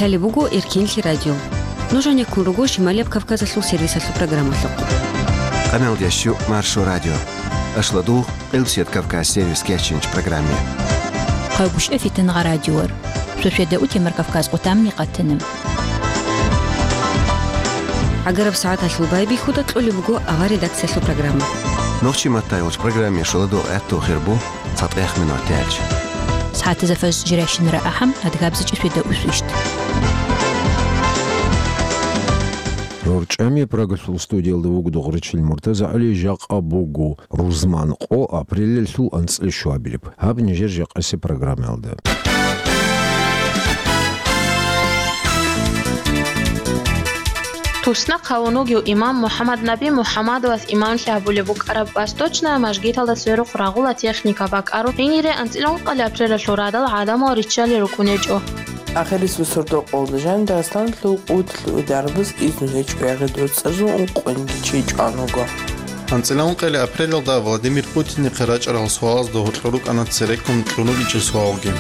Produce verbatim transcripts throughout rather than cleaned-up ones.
Лъалеб буго Эркенлъи радио. Нуж гьанеккун руго Шималияб Кавказалъул сервисалъул программалъухъ. Къаналдящу Маршо радио. Ашладу Къилсият Кавказ сервис кечинч программе. Къайгушев Фитнагъа радиор. Сосведа утемар Кавказ къутамни къатанам. ГӀагараб сагӀаталъул байбихьуда кьолеб буго авар редакциялъул программа. Нохчи маттайолч программе шуладу гӀатту хирбу цатӀех минутелч. СагӀатазафаз жиращинара ахӀам адгабзичӀи сосведа усвищт. Рорчамия Прагалъул студиялда вугдугъ ричил муртазагӀули жакъа бугу. Рузман къо апрелалъул анцӀила щуабилеб. Гьаб нижер жакъасе программаялда. Тусна хъавун вугев имам МухӀаммад Наби МухӀаммадовас имамлъи гьабулеб букӀараб Восточная мажгиталда сверухъ рагъула техника бакӀарун, гьенире анцӀила ункъали апрелалъул радал гӀадамал риччали рукӀунечӀо. Ахирис бусурдукъалда жаниб Дагъистаналъул кӀудияб дарбаз изну гьечӀо ягъи доцӀазул ункъониги чи чӀван вуго. АнцӀила ункъали апрелалда Владимир Путинихъе рачӀарал суалазда гьоркьор рукӀана цереккун кьун ругичӀел суалги.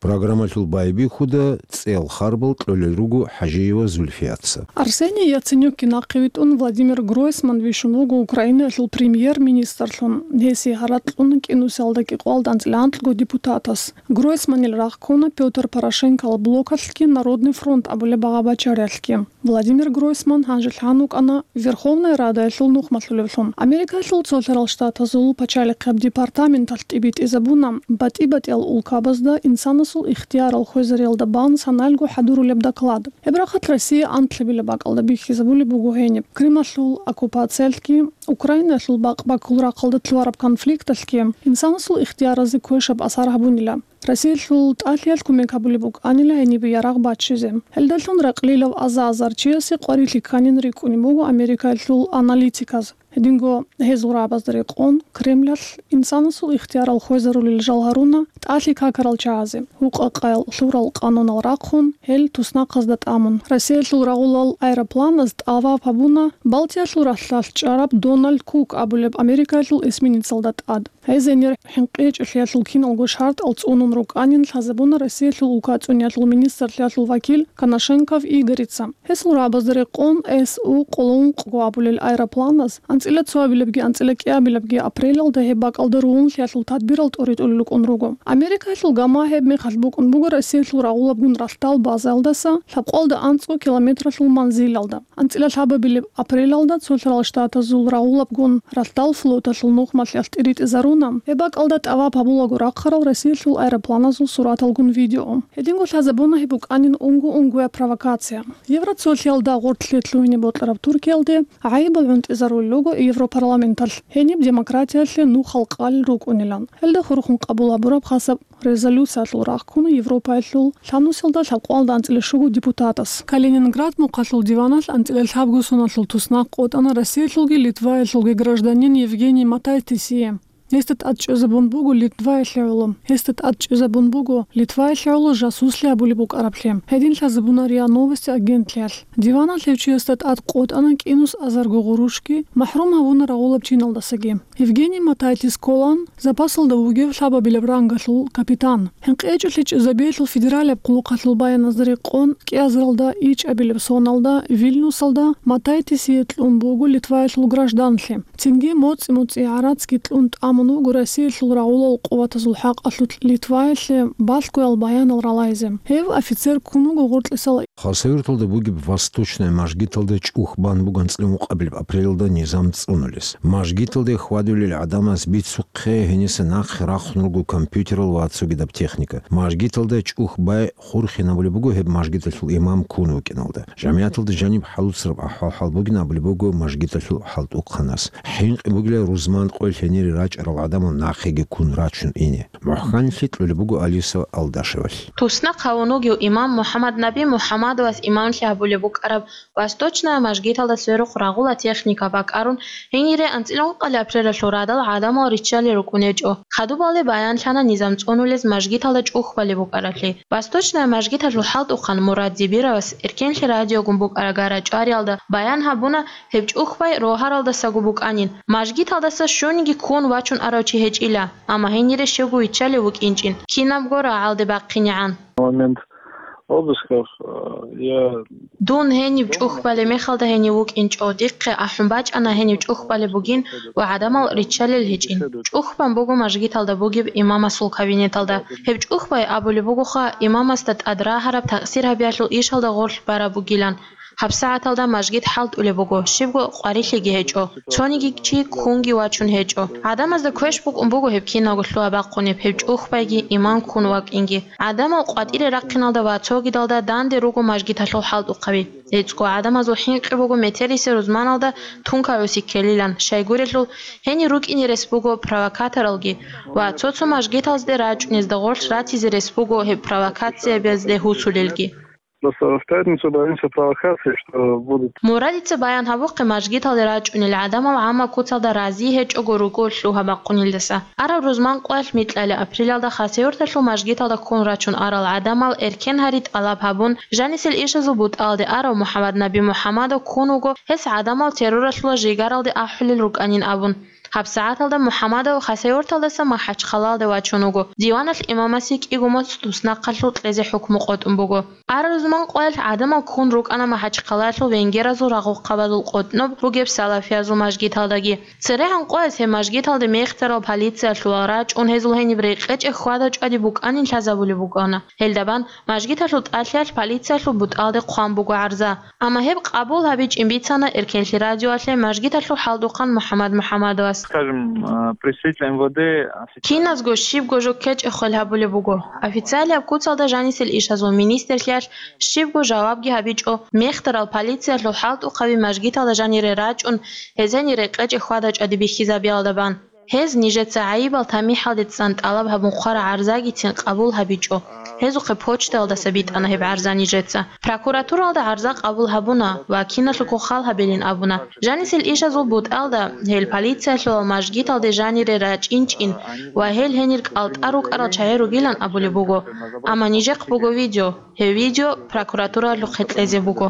Программалъул байбихьуда цӀел харбал кьолел руго ХӀажиева Зульфияца. Арсений Яценюкги нахъе витӀун Владимир Гройсман вищун вуго Украинаялъул премьер-министрлъун. Гьесие гьаракь кьуна кӀинусиялда кӀикъоялда анцӀила анкьго депутатас. Гройсманил рагъ ккуна Пётр Порошенкоял блокалъги Народный фронт абулеб багъа-бачариялъги. Владимир Гройсман гьанже лъан вукӀана Верховная Радаялъул нухмалъулевлъун. Америкаялъул Цолъарал Штатазул пачалихъияб департаменталъ тӀибитӀизабуна батӀи-батӀиял улкабазда инсанасул ихтиярал хвезариялда бан саналго хӀадурулеб доклад. Гьеб рахъалъ Россия анлъабилеб бакӀалда бихьизабулеб буго гьениб. Крималъул оккупациялъги, Украинаялъул бакъ-баккул рахъалда лъугьараб конфликталъги инсанасул ихтияразе квешаб асар гьабунила. Россиялъул ТӀалъиялъ кумек гьабулеб букӀанила гьенибе ярагъ баччизе. Гьелдалъун ракълилав аза-азар чиясе къварилъи кканин рикӀкӀунеб буго Америкаялъул аналитиказ. Гьединго гьезул рагӀабазда рекъон, Кремлалъ инсанасул ихтиярал хвезарулел жал гьаруна тӀалъи какарал чагӀазе, гьукъа-къаял лъурал къанунал рахъун, гьел туснахъазда тӀамун. Россиялъул рагъулал аэропланаз тӀаваб гьабуна Балтиялъул ралъдалъ чӀараб Дональд Кук абулеб Америкаялъул эсминецалда тӀад. Гьез гьенир хӀинкъичӀелъиялъул киналго шартӀал цӀунун рукӀанин лъазабуна Россиялъул улкацӀуниялъул министрлъиялъул вакил Коношенков Игорица. Гьесул рагӀабазда рекъон С У къоло ункъго абулел аэропланаз анцӀила цоабилебги анцӀила кӀиабилебги апрелалда гьеб бакӀалда ругьунлъиялъул тадбирал тӀоритӀулел рукӀун руго. Америкаялъул гама гьеб мехалъ букӀун буго Россиялъул рагъулабгун ралъдал базаялдаса лъабкъоялда анцӀго километралъул манзилалда. АнцӀила лъабабилеб апрелалда Цолъарал Штатазул рагъулабгун ралъдал флоталъул нухмалъиялъ тӀиритӀизаруна гьеб бакӀалда тӀаваб гьабулаго рахъарал Россиялъул аэропланазул сураталгун видео. Гьединго лъазабуна гьеб букӀанин унго-унгояб провокация. Евроцолъиялда гъоркьлъи лъугьине бокьараб Туркиялде гӀайибал гӀунтӀизарулел руго Европарламенталъ, гьениб демократиялъе нухал къалел рукӀунилан. Гьелда хурхун къабул гьабураб хасаб резолюциялъул рагъ ккуна Европаялъул лъабнусиялда лъабкъоялда анцӀила щуго депутатас. Калининград мухъалъул диваналъ анцӀила лъабго соналъул туснахъ къотӀана Россиялъулги Литваялъулги гражданин Евгений Матайтисие. Гьесда тӀад чӀезабун буго Литваялъе гӀоло. Гьесда тӀад чӀезабун буго Литваялъе гӀоло жасуслъи абулеб букӀараблъи. Гьедин лъазабуна РИА Новости агентлъиялъ. Диваналъ гьев чиясда тӀад къотӀана кӀинус азарго гъурущги, махӀрум гьавуна рагъулаб чиналдасаги. Евгений Матайтис кколан запасалда вугев лъабабилеб рангалъул капитан. ХӀинкъичӀелъи чӀезабиялъул федералияб хъулухъалъул баяназда рекъон, кӀиазаралда ичӀабилеб соналда Вильнюсалда Матайтисие кьун буго Литваялъул гражданлъи. Цинги моцӀи-моцӀи гӀарацги кьун тӀамун вуго Россиялъул рагъулал къуватазул хӀакъалъулъ Литваялъе балъгоял баянал ралайзе. Гьев офицер ккун вуго гъоркьисал. Хасавюрталда бугеб Восточная мажгиталда чӀух бан буго анцӀила ункъабилеб апрелалда низам цӀунулес. Мажгиталде хьвадулел гӀадамаз бицухъе гьениса нахъе рахъун руго компьютерал ва цогидаб техника. Мажгиталда чӀух бай хурхинабулеб буго гьеб мажгиталъул имам ккун вукӀиналда. ЖамигӀаталда жаниб хӀалуцараб ахӀвал-хӀал бугин абулеб буго мажгиталъул хӀалтӀухъанас. ХӀинкъи бугила рузман къоялъ гьенире рачӀарал гӀадамал нахъеги ккун рачун ине. МухӀканлъи кьолеб буго Алиса Алдашевалъ. Тусна хъавун вугев имам МухӀаммад Наби МухӀаммадовас имамлъи гьабулеб букӀараб Восточная мажгиталда сверухъ рагъула техника бакӀарун, гьенире анцӀила ункъали апрелалъул радал гӀадамал риччали рукӀунечӀо. Хадубалде баянлъана низам цӀунулез мажгиталда чӀух балеб букӀараблъи. Восточная мажгиталъул хӀалтӀухъан Мурад Дибировас Эркенлъи радиогун букӀарагара чӀвариялда баян гьабуна, гьеб чӀух бай рогьаралдасаго букӀанин, мажгиталдаса щуниги ккун вачун арав чи гьечӀила, амма гьенире щивго виччалев вукӀинчӀин, кинабго рагӀалде бахъинегӀан. момент обысков, э, я Дун гьениб чӀухбалеб мехалда гьенив вукӀинчӀо, дихъе ахӀун бачӀана гьенив чӀухбалеб бугин ва гӀадамал риччалел гьечӀин. ЧӀухбан буго мажгиталда бугеб имамасул кабинеталда. Гьеб чӀухбай абулеб бугоха, имамасда тӀад рагьараб такъсир гьабиялъул ишалда гъорлъ бараб бугилан. ГьабсагӀаталда мажгит хӀалтӀулеб буго, щибго къварилъиги гьечӀо, цониги чи ккунги вачун гьечӀо. ГӀадамазда квеш букӀун буго гьеб киналго лъугьа-бахъунеб, гьеб чӀухбайги, имам ккун вакӀинги. ГӀадамал къватӀире рахъиналда ва цогидалда данде руго мажгиталъул хӀалтӀухъаби. ГӀицӀго гӀадамазул хӀинкъи буго метерисел рузманалда тункагӀуси ккелилан, щайгурелъул, гьенир рукӀине рес буго провокаторалги ва цо-цо мажгиталзде рачӀунезда гъорлъ ратизе рес буго гьеб провокациябазде гьусулелги. Просто в пятницу боимся провокаций, что будут. Мурадица баян гьабухъе мажгиталде рачӀунел гӀадамал гӀамма куцалда рази гьечӀого руго лъугьа-бахъунелдаса. Араб рузман къоялъ микьалеб апрелалда Хасавюрталъул мажгиталда ккун рачун арал гӀадамал эркен гьари тӀалаб гьабун, жанисел ишазул бутӀалде арав МухӀаммад Наби МухӀаммадов ккун вуго, гьес гӀадамал терроралъула жигаралде ахӀулел рукӀанин абун. ГьабсагӀаталда МухӀаммадов Хасавюрталдаса МахӀачхъалаялде вачун вуго. Диваналъ имамасе кӀиго моцӀ туснахъалъур кьезе хӀукму къотӀун буго. Араб рузман къоялъ гӀадамал ккун рукӀана МахӀачхъалаялъул венгеразул рагъухъабазул къотӀноб ругеб салафиязул мажгиталдаги. ЦерегӀан къояз гьеб мажгиталде мехтарал полициялъул рачӀун гьезул гьениб рекъечӀеб хьвада-чӀвади букӀанин лъазабулеб букӀана. Гьелдабан мажгиталъул тӀалъиялъ полициялъул бутӀалде хъван буго гӀарза. Амма гьеб къабул гьабичӀин бицана Эркенлъи радиоялъе мажгиталъул хӀалтӀухъан МухӀаммад МухӀаммадовас. Скажем, э, представитель МВД официально Киназго щибго жо ккечӀеб хвел гьабулеб буго. Официалияб куцалда жанисел ишазул министрлъиялъ щибго жавабги гьабичӀо, мехтарал полициялъул хӀалтӀухъаби мажгиталда жанире рачӀун, гьезенир рекъечӀеб хьвада-чӀвади бихьизабиялда бан. Гьез нижеца гӀайибал тамихӀалде цӀан тӀалаб гьабун хъвараб гӀарзагицин къабул гьабичӀо, гьезухъе почтаялдаса битӀана гьеб гӀарза нижеца. Прокуратуралда гӀарза къабул гьабуна ва киналъухъ хал гьабилин абуна. Жанисел ишазул бутӀалда, гьел полициялъул мажгиталде жанире рачӀинчӀин ва гьел гьенир кӀалтӀа рукӀарал чагӀи ругилан абулеб буго. Амма нижехъ буго видео. Гьеб видео прокуратуралъухъе кьезе буго.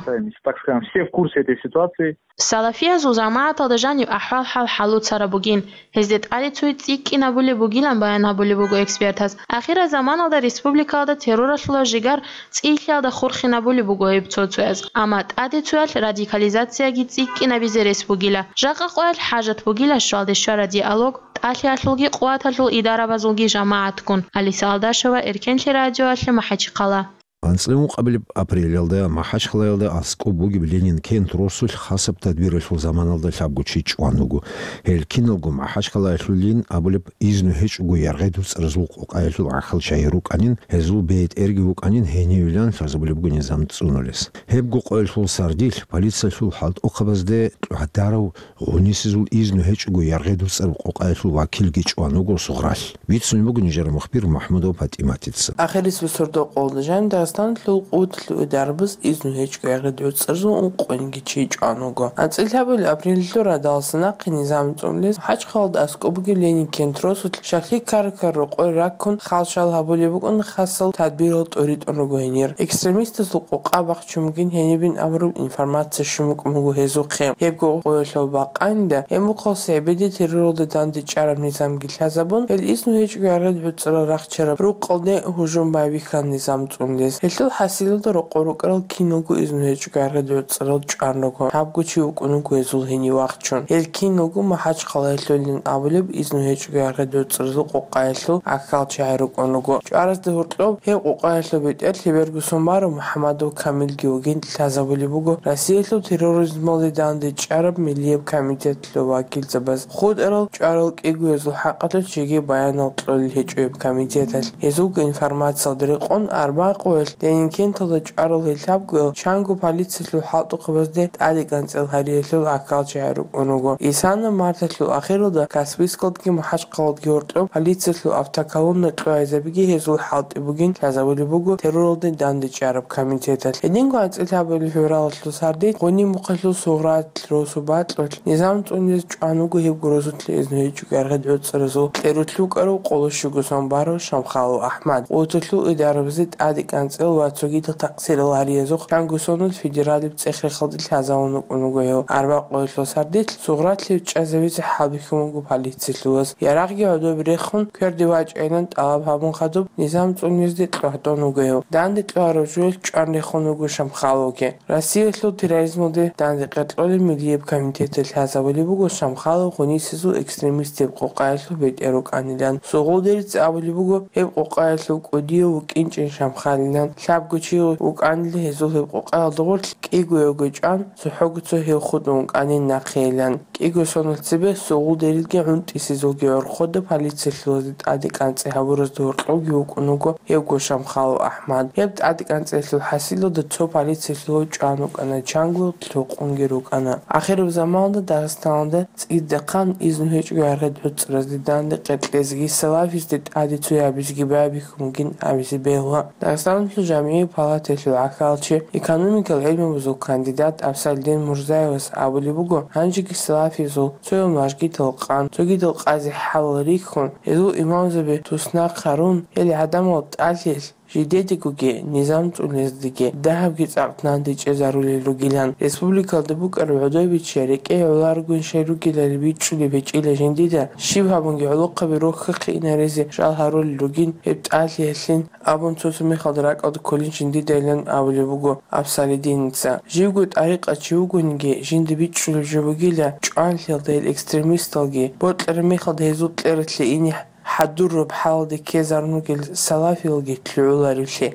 Так скажем, все в курсе этой ситуации. Салафиязул жамагӀаталда жаниб ахӀвал-хӀал хӀалуцараб бугин, гьезде тӀаде цуе цӀикӀкӀинабулеб бугилан баян гьабулеб буго экспертаз. Ахирал заманалда республикалда терроралъула жигар цӀилъиялда хурхинабулеб буго гьеб цо-цояз, амма тӀаде цоялъ радикализацияги цӀикӀкӀинабизе рес бугила. Жакъа къоялъ хӀажат бугила щвалде щвара диалог, тӀалъиялъулги къуваталъул идарабазулги жамагӀатгун. Алиса Алдашева, Эркенлъи радиоялъе, МахӀачхъала. АнцӀила ункъабилеб апрелалда МахӀачхъалаялда аскӀоб бугеб Ленин кент росулъ хасаб тадбиралъул заманалда лъабго чи чӀван вуго. Гьел киналго МахӀачхъалаялъулин абулеб, изну гьечӀого яргъи дуцӀаразул къокъаялъул гӀахьал чагӀи рукӀанин, гьезул бетӀерги вукӀанин гьенивилан лъазабулеб буго низам цӀунулес. Гьебго къоялъул сардилъ полициялъул хӀалтӀухъабазде тӀадаб гъунисезул изну гьечӀого яргъи дуцӀараб къокъаялъул вакилги чӀван вуго сугъралъ. Бицунеб буго нижер мухбир МахӀмудова ПатӀиматица. Ахирисеб сордо-къолда жаниб Дагъистаналъул къуваталъул идарабаз изну гьечӀого яргъи дуцӀарзул ункъониги чи чӀван вуго. АнцӀила лъабабилеб апрелалъул радаласа нахъе низам цӀунулес МахӀачхъалаялда аскӀоб бугеб Ленин кент росулъ щаклъи ккараб-ккараб рокъой раккун, хал-шал гьабулеб букӀун хасал тадбирал тӀуритӀун руго гьенир. Экстремистазул къокъа бахчун бугин гьенибин абураб информация щун букӀун буго гьезухъе. Гьебго къоялъул бакъанила, гьеб мухъалъ СигӀбеде терроралда дандечӀараб низамги лъазабун, гьел изну гьечӀого яргъи дуцӀарал рахчараб рукъалде гьужум байбихьана низам цӀунулес. Гьелъул хӀасилалда рокъор рукӀарал киналго изну гьечӀого яргъи дуцӀарал чӀван руго. Лъабго чи вукӀун вуго гьезул гьенив вахчун. Гьел киналго МахӀачхъалаялъулин абулеб изну гьечӀого яргъи дуцӀарзул къокъаялъул гӀахьал чагӀи рукӀун руго. ЧӀваразда гьоркьоб гьеб къокъаялъул бетӀер лъеберго сон барав МухӀаммадов Камилги вугин лъазабулеб буго Россиялъул терроризмалде дандечӀараб миллияб комитетлъул вакилзабаз. ХутӀарал чӀварал кӀиго гьезул хӀакъалъулъ жеги баянал кьолел гьечӀо гьеб комитеталъ. Гьезулго информациялда рекъон, арбагъ къоялъ Ленин кенталда чӀварал гьел лъабгоял чанго полициялъул хӀалтӀухъабазде тӀаде-кӀанцӀал гьариялъул гӀахьал чагӀи рукӀун руго. Исана марталъул ахиралда Каспийскалдги МахӀачхъалаялдги гьоркьоб полициялъул автоколонна кьогӀизабиги гьезул хӀалтӀи бугин лъазабулеб буго терроралде дандечӀараб комитеталъ. Гьединго анцӀила лъабабилеб февралалъул сардилъ Гъуниб мухъалъул Сугъралъ росу бакьулъ низам цӀунулес чӀван вуго гьеб гурузулъе изну гьечӀого яргъи дуцӀаразул кьерулъ вукӀарав къоло щуго сон барав Шамхалов АхӀмад. Къуваталъул идарабазе тӀаде-кӀанцӀал ва цогидал такъсирал гьариязухъ чанго соналъ федералияб цӀех-рехалде лъазавун вукӀун вуго гьев. Арбакъоялъул сардилъ сугъралъи чӀезавизе хӀалбихьун вуго полициялъулаз. Ярагъги гӀодобе рехун, кверде вачӀайилан тӀалаб гьабун хадуб, низам цӀунизе кьогьтӀун вуго гьев. Данде кьогьарав жоялъ чӀван рехун вуго Шамхаловги. Россиялъул терроризмалде данде къеркьолеб Миллияб комитеталъ лъазабулеб буго Шамхалов гъунисезул экстремистияб къокъаялъул бетӀер вукӀанилан. Сугъул Дерица абулеб буго, гьеб къокъаялъул кӀудияв вукӀинчӀин Шамхалилан, лъабго чи вукӀанила гьезул гьеб къокъаялда гъорлъ, кӀиго-яго чӀван, цохӀого цо гьев хутӀун вукӀанин нахъейилан. КӀиго соналъ цебе Сугъул Дерилги ГӀунтӀисезулги гӀорхъода полициялъулазде тӀаде кӀанцӀи гьабуразда гьоркьовги вукӀун вуго гьевго Шамхалов АхӀмад. Гьеб тӀаде кӀанцӀиялъул хӀасилалда цо полициялъулав чӀван вукӀана, чанго лъукъунги рукӀана. Ахираб заманалда Дагъистаналда цӀидахъан изну гьечӀого гӀергъи гӀуцӀразде данде къеркьезеги салафизде тӀаде цо гьабизеги байбихьун бугин абизе бегьула. Дагъистаналъул жамгӀиял палатаялъул гӀахьалчи, экономикал гӀелмабазул кандидат Абсалидин Мурзаевас абулеб буго, гьанжеги салафизул цоял мажгитал къан, цогидал къазе хӀалал рихьун, гьезул имамзаби туснахъ гьарун, гьел гӀадамал тӀалъилъ жидедигоги, низам цӀунездеги дагьабги цӀакъ нандичӀезарулел ругилан. Республикалда букӀараб гӀодобичи рекӀее гӀоларогун щай ругелали бичӀчӀулеб гьечӀила жиндида, щиб гьабунги гӀолохъаби рохьахъе инаризе жал гьарулел ругин гьеб тӀалъиялъин абун цо-цо мехалда ракӀалда кколин жиндидайилан абулеб буго Абсалидиница. Живго тӀарикъачи вугониги, жинда бичӀчӀулеб жо бугила, чӀван лъелда гьел экстремисталги, бокьараб мехалда гьезул кьералъе ине хӀадураб хӀалалде ккезарун ругел салафиялги лъугӀуларевлъи,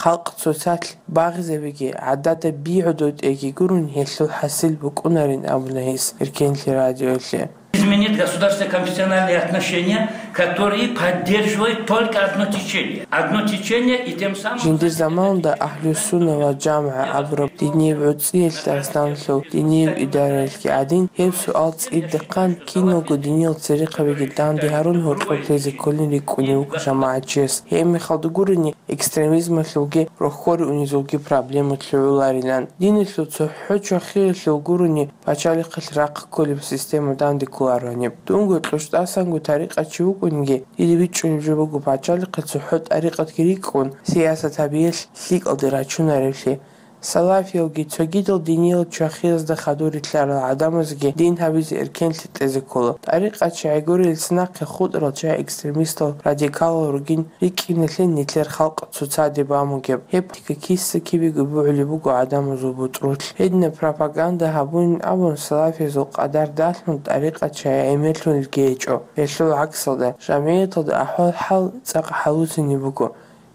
халкъ цоцалъ багъизабиги, гӀадада би гӀодотӀеги гурони гьелъул хӀасил букӀунарин абуна гьес Эркенлъи радиоялъе. Изменить государственные конфессиональные отношения, которые поддерживает только одно течение. Одно течение и тем самым... Жиндир заманалда Агьлу-Сунна ва ЖамгӀа абураб динияб гӀуцӀиялъ Дагъистаналъул динияб идараялъги гӀадин, гьеб суал цӀидахъан киналго диниял церехъабиги данде гьарун гьоркьоб лъезе кколин рикӀкӀунев вуго жамагӀатчияс. Гьеб мехалда гурони, экстремизмалъулги рохьоре унезулги проблема лъугӀуларилан. Диналъул цохӀо чвахиялъул гурони пачалихъалъ рахъ кколеб система данде кколаро гьаниб. Дунго кьучӀдасанго тӀарикъачи вукӀунги, дида бичӀчӀулеб жо буго пачалихъе цохӀо тӀарикъатги рикӀкӀун, сиясат гьабиялъ лъикӀалде рачунаревлъи. Салафиялги цогидал диниял чвахиязда хадур рилълъарал гӀадамазги дин гьабизе эркенлъи кьезе ккола. ТӀарикъачи гӀегорилца нахъе хутӀарал чагӀи экстремистал, радикалал ругин рикӀкӀиналъе нилъер халкъ цоцаде бан бугеб. Гьеб тика киса-кибего бугӀулеб буго гӀадамазул бутӀрулъ. Гьединаб пропаганда гьабунин абун, салафиязул къадар далъун, тӀарикъачи гӀемерлъунелги гьечӀо. Гьелъул гӀаксалда, жамгӀияталда ахӀвал-хӀал цӀакъ хӀалуцинеб буго.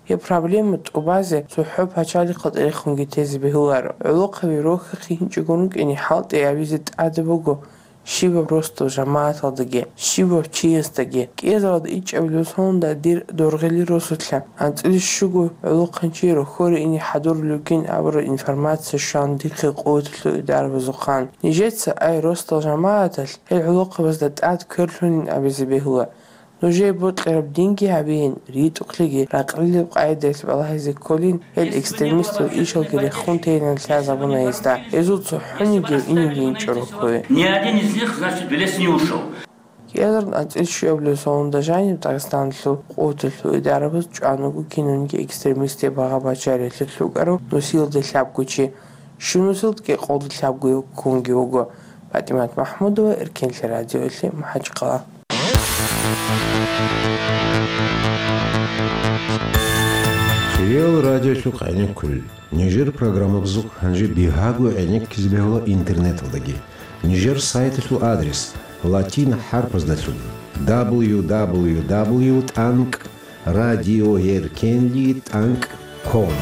Гьеб проблема тӀубазе цохӀо пачалихъалда рехунги тезе бегьуларо. ГӀолохъаби рохьахъе гьинчӀого рукӀине хӀалтӀи гьабизе тӀаде буго щибаб росдал жамагӀаталдаги, щибаб чиясдаги. КӀиазаралда ичӀабилеб сонда дир доргъели росулъа, анцӀила щуго гӀолохъанчи рохьоре ине хӀадурулевгин абураб информация щван дихъе къуваталъул идарабазухъан. Нижеца, ай, росдал жамагӀаталъ, гьел гӀолохъабазда тӀад кверлъунин абизе бегьула. Нужее бокьараб динги гьабейин, ритӀухълъиги, ракълилеб къагӀидаялъ балагьизе кколин, гьел экстремистал ишалги рехун тейилан лъазабуна гьезда. Гьезул цохӀонигияв инеги инчӀо рохьое. Ни один из них, значит, в лес не ушел. КӀиазарун анцӀила щуабилеб сонда жаниб Дагъистаналъул къуваталъул идарабаз чӀван вуго кинавниги экстремистияб багъа-бачариялъе лъукӀарав нусиялда лъабго чи. Щунусилдаги къолда лъабгояв ккунги вуго. ПатӀимат МахӀмудова, Эркенлъи радиоялъе, МахӀачкъала. Хириял радиолъухъ гӀенеккулел. Нижер программабазухъ гьанже бигьаго гӀенеккизе бегьула интернеталдаги. Нижер сайталъул адрес латин хӀарпаздалъун: дабл ю дабл ю дабл ю тӀанкӀ радиоэркенлъи тӀанкӀ ком.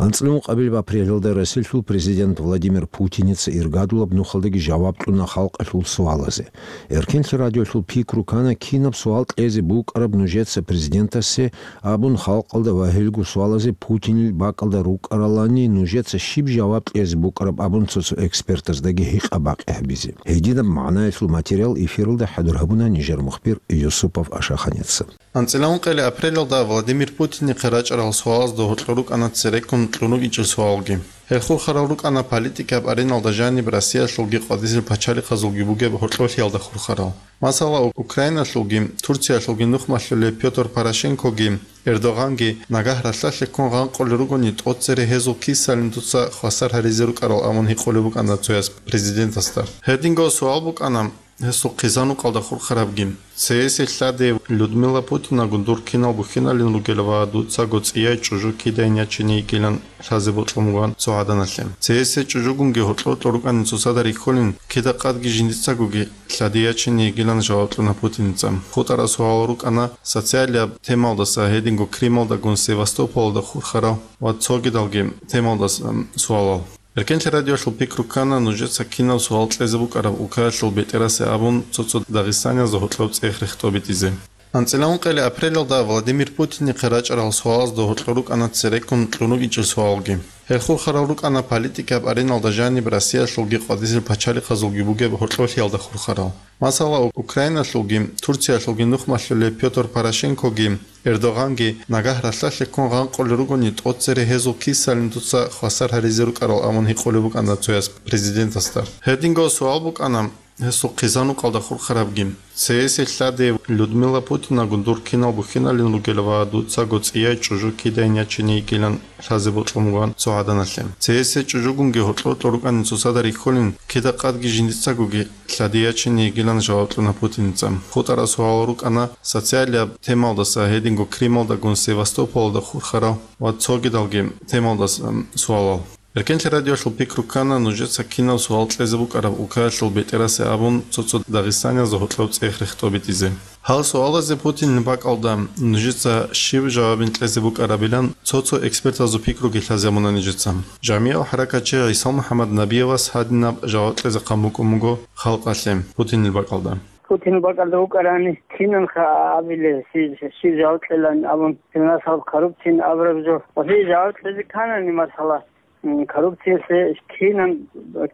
АнцӀила ункъабилеб апрелалда Россиялъул президент Владимир Путиница иргадулаб нухалдаги жаваб кьуна халкъалъул суалазе. Эркенлъи радиолъул пикру ккана, кинаб суал кьезе букӀараб нужеца президентасе абун халкъалда ва гьелго суалазе Путинил бакӀалда рукӀаралани, нужеца щиб жаваб кьезе букӀараб абун цо-цо экспертаздаги гьикъа-бакъи гьабизе. Гьединаб магӀнаялъул материал эфиралда хӀадур гьабуна нижер мухбир Юсупов Ашаханица. АнцӀила ункъабилеб апрелалда Владимир Путинихъе рачӀарал суалазда гьоркьор рукӀана цереккун кьун рукӀинчӀел суалги. Гьел хурхарал рукӀана политикаб ареналда жаниб Россиялъулги къватӀисел пачалихъазулги бугеб гьоркьоблъиялда хурхарал. Масала, Украиналъулги Турциялъулги нухмалъулеб Пётр Порошенкоги Эрдогъанги нагагь ралъдалъе ккун гъанкъулел ругони, тӀоцере гьезул кисалин дуца хвасар гьаризе рукӀарал абун гьикъулеб букӀана цояс президентасда. Гьединго суал букӀана гьесул хъизан-укъалда хурхарабги. Цеесел лъади Людмила Путинагун дур кинал бухьиналин ругел ва дуцаго цӀияй чӀужу кидайин ячине йигилан лъазе бокьун буган цо гӀаданалъе. Цеесел чӀужугунги гьоркьор-гьоркьор рукӀанин цоцазда рихьулин, кида-къадги жиндицагоги лъади ячине йигилан жаваб кьуна Путиница. ХутӀараб суалал рукӀана социалияб темалдаса, гьединго Крымалдагун Севастополалда хурхарал ва цогидалги темалдаса суалал. Эркенлъи радиоялъул пикру ккана нужеца кинаб суал кьезе букӀараб укаялъул бетӀерасе абун цо-цо дагъистаниязда гьоркьоб цӀех рехтӀобитӀизе. АнцӀила ункъоялда апрелалда Владимир Путинихъе рачӀарал суалазда гьоркьор рукӀана цереккун кьун ругинчӀел суалги. Гьел хурхарал рукӀана политикаб ареналда жаниб Россиялъулги къватӀисел пачалихъазулги бугеб гьоркьоблъиялда хурхарал. Масала, Украиналъулги Турциялъулги нухмалъулеб Пётр Порошенкоги Эрдогъанги нагагь ралъдалъе ккун гъанкъулел ругони, тӀоцере гьезул кисалин дуца хвасар гьаризе рукӀарал абун гьикъулеб букӀана цояс президентасда. Гьединго суал букӀана гьесул хъизан-укъалда хурхарабги. Цеесел лъади Людмила Путинагун дур кинал бухьиналин ругел ва дуцаго цӀияй чӀужу кидайин ячине йигилан лъазе бокьун буган цо гӀаданалъе. Цеесел чӀужугунги гьоркьор-гьоркьор рукӀанин цоцазда рихьулин, кида-къадги жиндицагоги лъади ячине йигилан жаваб кьуна Путиница. ХутӀараб суалал рукӀана социалияб темалдаса, гьединго Крымалдагун Севастополалда хурхарал ва цогидалги темалдаса суалал. Эркенлъи радиоялъул пикру ккана нужеца кинаб суал кьезе букӀараб укаялъул бетӀерасе абун цо-цо дагъистаниязда гьоркьоб цӀех рехтӀобитӀизе. Гьал суалазе Путинил бакӀалда нужеца щиб жавабин кьезе букӀарабилан цо-цо экспертазул пикруги лъазабуна нижеца. ЖамигӀал хӀаракатчи ГӀисал МухӀаммад Набиевас гьадинаб жаваб кьезе хъан букӀун буго халкъалъе Путинил бакӀалда. Путинил бакӀалда вукӀарани, кинанха абиле, щи-, щиб жаваб кьелан абун, гьеб масала коррупциян абураб жо. Ва гьей жаваб кьезе кканани, масала, м, коррупциялъе кинан,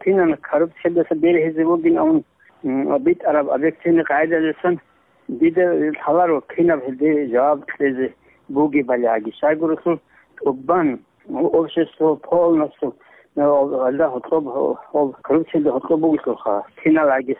кинан коррупциялдаса бергьизе бугин абун, м, битӀараб объективный къагӀидалдасан дида лъаларо кинаб гьелде жаваб кьезе бугебали. Гьаги щайгурелъул тӀубан общество полностью, э, гьалда гьоркьоб, гьоб коррупциялда гьоркьоб бугелъулха, кинал гьаги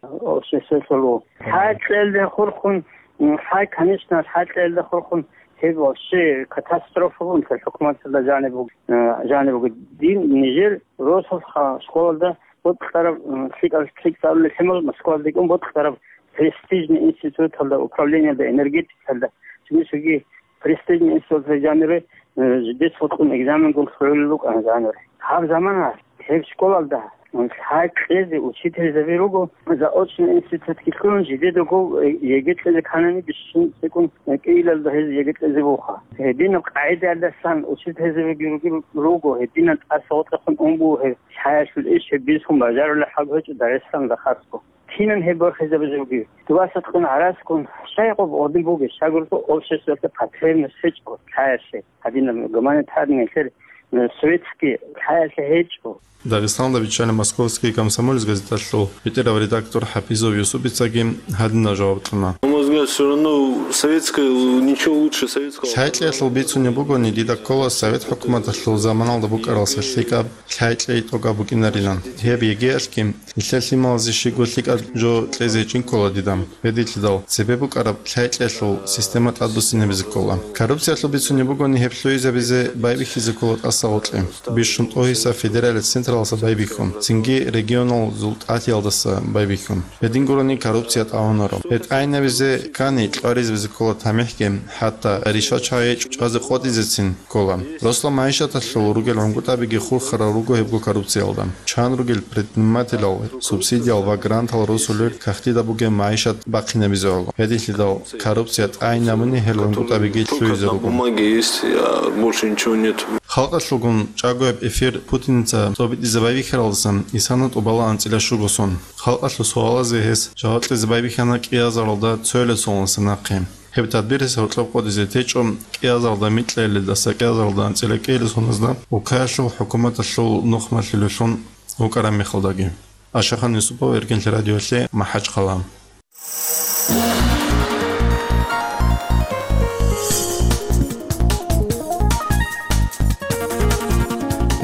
обществолъул. ХӀакъалъе хурхун, м, хӀай, конечно, хӀакъалъе хурхун, гьеб вообще катастрофа бугелъул хӀукуматалда жаниб буг-, э, жаниб буго. Дин нижер росулха школалда боцӀараб, м, лъикӀал, лъикӀ цӀалулел лъимал Москвалда декӀун боцӀараб престижный институталда, управлениялда, энергетикалда, цоги-цоги престижный институталда жанире, э, жидец гьоркьун экзаменгун лъугӀулел рукӀана жанире. Гьаб замана гьеб школалда, м, лъай кьезе учительзаби руго, заочный институтги лъугӀун, жидедаго, э, ЕГЭ кьезе кканани бищун цӀикӀкӀун, э, кӀиялда гьез ЕГЭ кьезе буха. Гьединаб къагӀидаялдасан учительзабиги руги-, руго, гьединан тӀаса гъотӀахъун ун буго гьеб. Лъаялъул иш гьеб бицун бажарулеб хӀал гьечӀо Дагъистаналда хасго. Кинан гьеб борхизабизе бугеб? Дубасаткъун гӀараскун щай гъоб гъодин бугеб? Щайгурелъул обществоялъе потребность гьечӀо лъаялъе. Гьадинаб гуманитарный нилъер, э, светский лъаялъе гьечӀо. Дагъистаналда биччалеб Московский комсомолец газеталъул бетӀерав редактор ХӀапизов Юсупицаги гьадинаб жаваб кьуна. На мой взгляд, всё равно советская, ничего лучше советского. Лъайкьеялъул бицунеб бугони, дида ккола совет хӀукуматалъул заманалда букӀаралса лъикӀаб лъайкьей тӀокӀаб букӀинарилан. Гьеб ЕГЭялъги нилъер лъималазе щибго лъикӀаб жо кьезе гьечӀин ккола дида. Гьединлъидал цебе букӀараб лъайкьеялъул система тӀадбуссинабизе ккола. Коррупциялъул бицунеб бугони, гьеб лъугӀизабизе байбихьизе ккола тӀаса гъоркье. Бищун тӀогьиса федералияб централдаса байбихьун, цинги регионалзул тӀатиялдаса байбихьун. Гьедин гурони коррупция тӀагӀунаро. Гьеб тӀагӀинабизе ккани, кьваризабизе ккола тамихӀги, хӀатта ришват чӀвазе къотӀизецин ккола. Росла магӀишаталъул ругел гӀунгутӀабиги хурхарал руго гьебго коррупциялда. Чан ругел предпринимателал субсидиял ва грантал росулел кагътида бугеб магӀишат бахъинабизе гӀоло. Гьединлъидал коррупция тӀагӀинабуни гьел гӀунгутӀабиги лъугӀизе руго. Только бумаги есть, а больше ничего нет. Халкъалъулгун чӀагояб эфир Путиница цӀобитӀизе байбихьаралдасан исана тӀубала анцӀила щуго сон. Халкъалъул суалазе гьес жаваб кьезе байбихьана кӀиазаралда цоялъ соналдаса нахъе. Гьеб тадбирас гьоркьоб къотӀизе течӀо кӀиазаралда микьилелдаса кӀиазаралда анцӀила кӀиялъ соназда, укаялъул хӀукуматалъул нухмалъулеллъун вукӀараб мехалдаги. Ашахан Юсупов, Эркенлъи радиолъе, МахӀачхъала.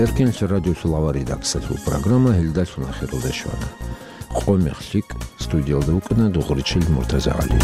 Эркенлъи радиолъул авар редакциялъул программа гьелдалъун ахиралде щвана. Къо-мех лъикӀ, студиялда вукӀана Дугъричил МуртазагӀали.